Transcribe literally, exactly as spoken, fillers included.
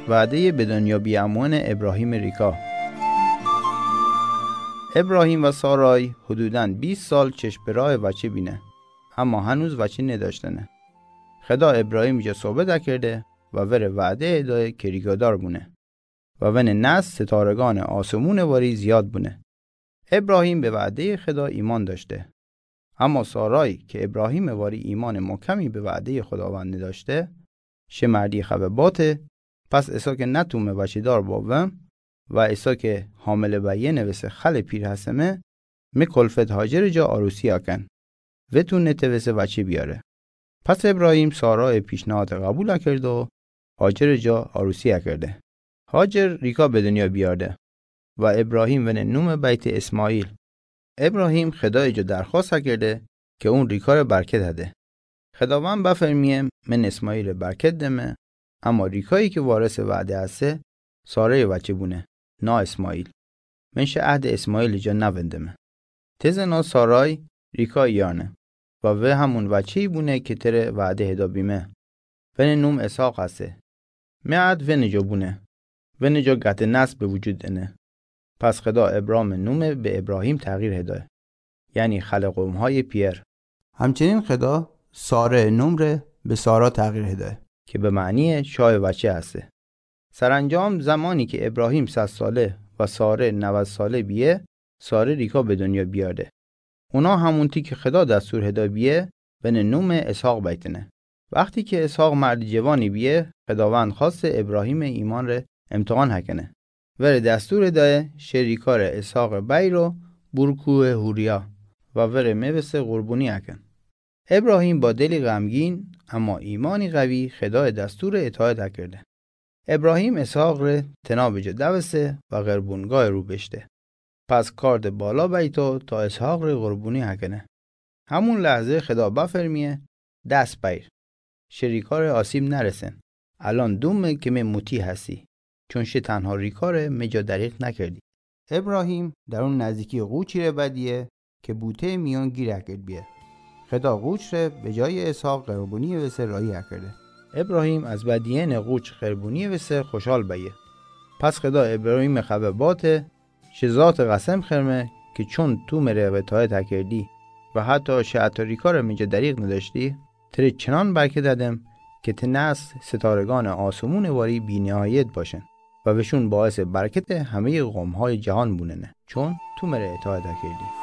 وعدهٔ به دنیا بیامون ابراهیم ریکا. ابراهیم و سارای حدوداً بیست سال چشم به راه بچه بینه، اما هنوز بچه نداشتنه. خدا ابراهیم جا صحبت کرده و وره وعده دایه که ریکادار بونه و ونه نسل ستارگان آسمون واری زیاد بونه. ابراهیم به وعدهٔ خدا ایمان داشته. اما سارای که ابراهیم واری ایمان محکمی به وعدهٔ خداوند نداشته، شه مردی خبه باته، پس ایسا که نتومه بچه‌دار باوم و ایسا که حامله بیه نوسه خل پیر هسمه، می کلفت هاجر جا عروسی کن. و تو نتوسه بچه بیاره. پس ابراهیم سارای پیشنهاد قبول کرد و هاجر جا عروسی کرده. هاجر ریکا به دنیا بیارده و ابراهیم ونه نوم بیت اسماعیل. ابراهیم خدای جا درخواست کرده که اون ریکا ره برکت هده. خداوند بفرمیه: من اسماعیل ره برکت دمه، اما ریکایی که وارث وعده هسه، سارای وچه بونه، نا اسماعیل. من شه عهد اسماعیل جا نوندمه. تزنا سارای ریکا یانه و وه همون وچه‌ای بونه که تره وعده هدا بیمه. ونه نوم اسحاق هسه. می عهد ونه جا بونه. ونه جا قطع نسل به وجود انه. پس خدا ابرام نوم به ابراهیم تغییر هدایه، یعنی خلق قوم‌های پیر. همچنین خدا ساره نوم ره به سارا تغییر هدایه که به معنی شاه وچه هسته. سرانجام زمانی که ابراهیم صد ساله و ساره نود ساله بیه، ساره ریکا به دنیا بیارده. اونا همونتی که خدا دستور هدا بیه، ونه نوم اسحاق بیتنه. وقتی که اسحاق مرد جوانی بیه، خداوند خواست ابراهیم ایمان ره امتحان هکنه. وره دستور دایه شه ریکا ره اسحاق بیر و بور کوه حوریا و وره میوسه قربونی هکن. ابراهیم با دلی غمگین اما ایمانی قوی خدای دستور اطاعت هکرده. ابراهیم اسحاق ره تناب جا دوسه و قربونگاه رو بشته. پس کارد بالا بیتا تا اسحاق ره قربونی هکنه. همون لحظه خدا بفرمیه: دست بیر. شه ریکا ره آسیب نرسن. الان دومه که می مطیع هستی، چون شه تنها ریکا ره می جا دریغ نکردی. ابراهیم در اون نزدیکی قوچی ره بدیه که بوته میان گیر اکرد بیه. خدا قوچ ره به جای اسحاق قربونی وسه راهی اکرده. ابراهیم از بدیهن قوچ قربونی وسه خوشحال بیه. پس خدا ابراهیم خبه باته: شه ذات قسم خرمه که چون تو مره اطاعت اکردی و حتی شه حتی ریکا ره می جا دریغ نداشتی، تره چنان برکت ددم که ته نسل ستارگان آسمون واری بی‌نهایت باشن و وشون باعث برکت همهٔ قوم‌های جهان بوننه، چون تو مره اطاعت کردی.